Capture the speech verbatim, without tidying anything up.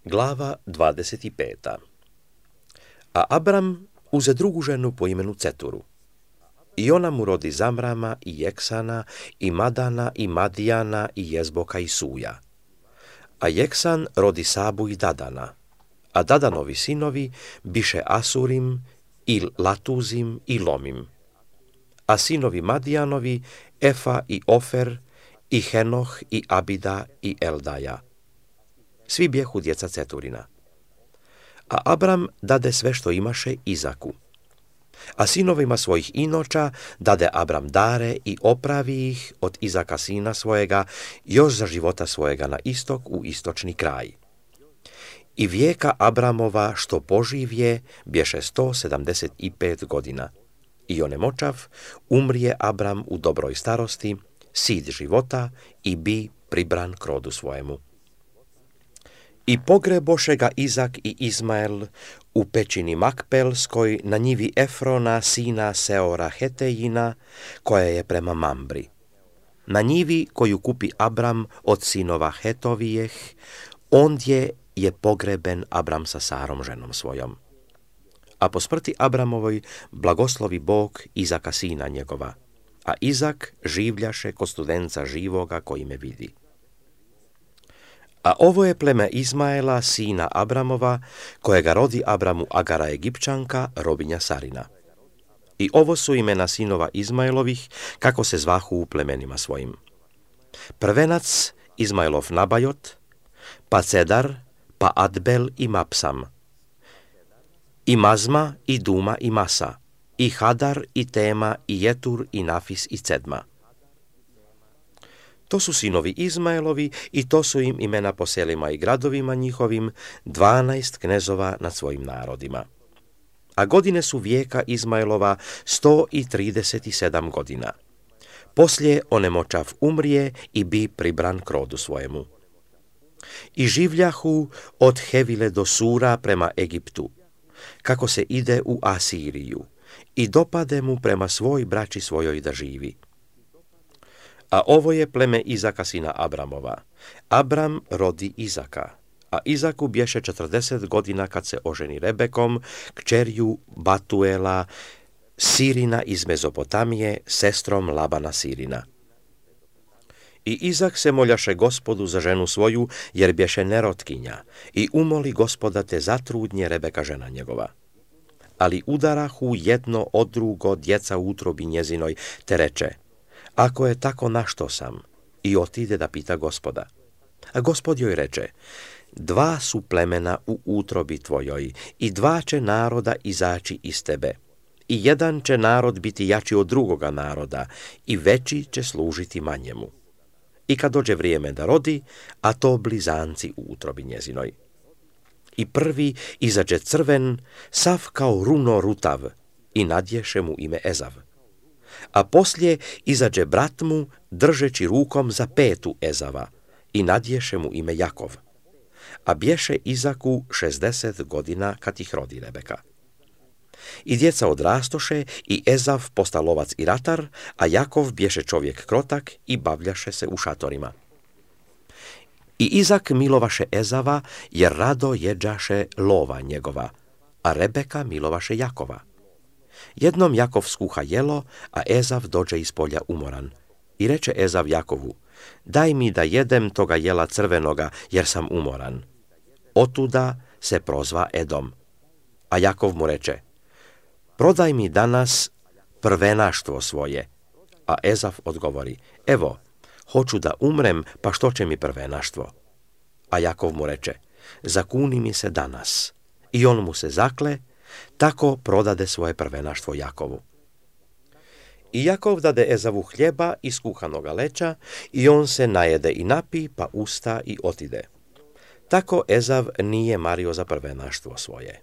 Glava dvadeset peta. A Abram uze drugu ženu po imenu Ceturu. I ona mu rodi Zamrama i Jeksana i Madana i Madijana i Jezboka i Suja. A Jeksan rodi Sabu i Dadana. A Dadanovi sinovi biše Asurim i Latuzim i Lomim. A sinovi Madijanovi Efa i Ofer i Henoh i Abida i Eldaja. Svi bjehu djeca Ceturina. A Abram dade sve što imaše Izaku. A sinovima svojih inoča dade Abram dare i opravi ih od Izaka sina svojega još za života svojega na istok u istočni kraj. I vijeka Abramova što poživje bješe sto sedamdeset pet godina. I onemočav umrije Abram u dobroj starosti, sid života i bi pribran k rodu svojemu. I pogreboše ga Izak i Izmael u pećini Makpelskoj na njivi Efrona sina Seora Hetejina, koja je prema Mambri. Na njivi koju kupi Abram od sinova Hetovijeh, ondje je pogreben Abram sa Sarom ženom svojom. A po smrti Abramovoj blagoslovi Bog Izaka sina njegova, a Izak življaše ko studenca živoga koji me vidi. A ovo je pleme Izmaela, sina Abramova, kojega rodi Abramu Agara Egipćanka, robinja Sarina. I ovo su imena sinova Izmaelovih, kako se zvahu u plemenima svojim. Prvenac Izmaelov Nabajot, pa Cedar, pa Adbel i Mapsam, i Mazma, i Duma, i Masa, i Hadar, i Tema, i Jetur, i Nafis, i Cedma. To su sinovi Izmaelovi i to su im imena po selima i gradovima njihovim, dvanaest knezova nad svojim narodima. A godine su vijeka Izmaelova sto i trideset sedam godina. Poslije onemočav umrije i bi pribran k rodu svojemu. I življahu od Hevile do Sura prema Egiptu, kako se ide u Asiriju, i dopade mu prema svoj braći svojoj da živi. A ovo je pleme Izaka sina Abramova. Abram rodi Izaka, a Izaku bješe četrdeset godina kad se oženi Rebekom, kćerju Batuela, Sirina iz Mezopotamije, sestrom Labana Sirina. I Izak se moljaše Gospodu za ženu svoju, jer bješe nerotkinja, i umoli Gospoda te zatrudnje Rebeka žena njegova. Ali udarahu jedno od drugo djeca u utrobi njezinoj, te reče: ako je tako, našto sam? I otide da pita Gospoda. A Gospod joj reče: dva su plemena u utrobi tvojoj, i dva će naroda izaći iz tebe. I jedan će narod biti jači od drugoga naroda, i veći će služiti manjemu. I kad dođe vrijeme da rodi, a to blizanci u utrobi njezinoj. I prvi izađe crven, sav kao runo rutav, i nadješe mu ime Ezav. A poslije izađe brat mu, držeći rukom za petu Ezava, i nadješe mu ime Jakov. A bješe Izaku šezdeset godina kad ih rodi Rebeka. I djeca odrastoše, i Ezav posta lovac i ratar, a Jakov bješe čovjek krotak i bavljaše se u šatorima. I Izak milovaše Ezava, jer rado jeđaše lova njegova, a Rebeka milovaše Jakova. Jednom Jakov skuha jelo, a Ezav dođe iz polja umoran. I reče Ezav Jakovu: daj mi da jedem toga jela crvenoga, jer sam umoran. Otuda se prozva Edom. A Jakov mu reče: prodaj mi danas prvenaštvo svoje. A Ezav odgovori: evo, hoću da umrem, pa što će mi prvenaštvo? A Jakov mu reče: zakuni mi se danas. I on mu se zakle, tako prodade svoje prvenaštvo Jakovu. I Jakov dade Ezavu hljeba iz kuhanoga leća, i on se najede i napi, pa usta i otide. Tako Ezav nije mario za prvenaštvo svoje.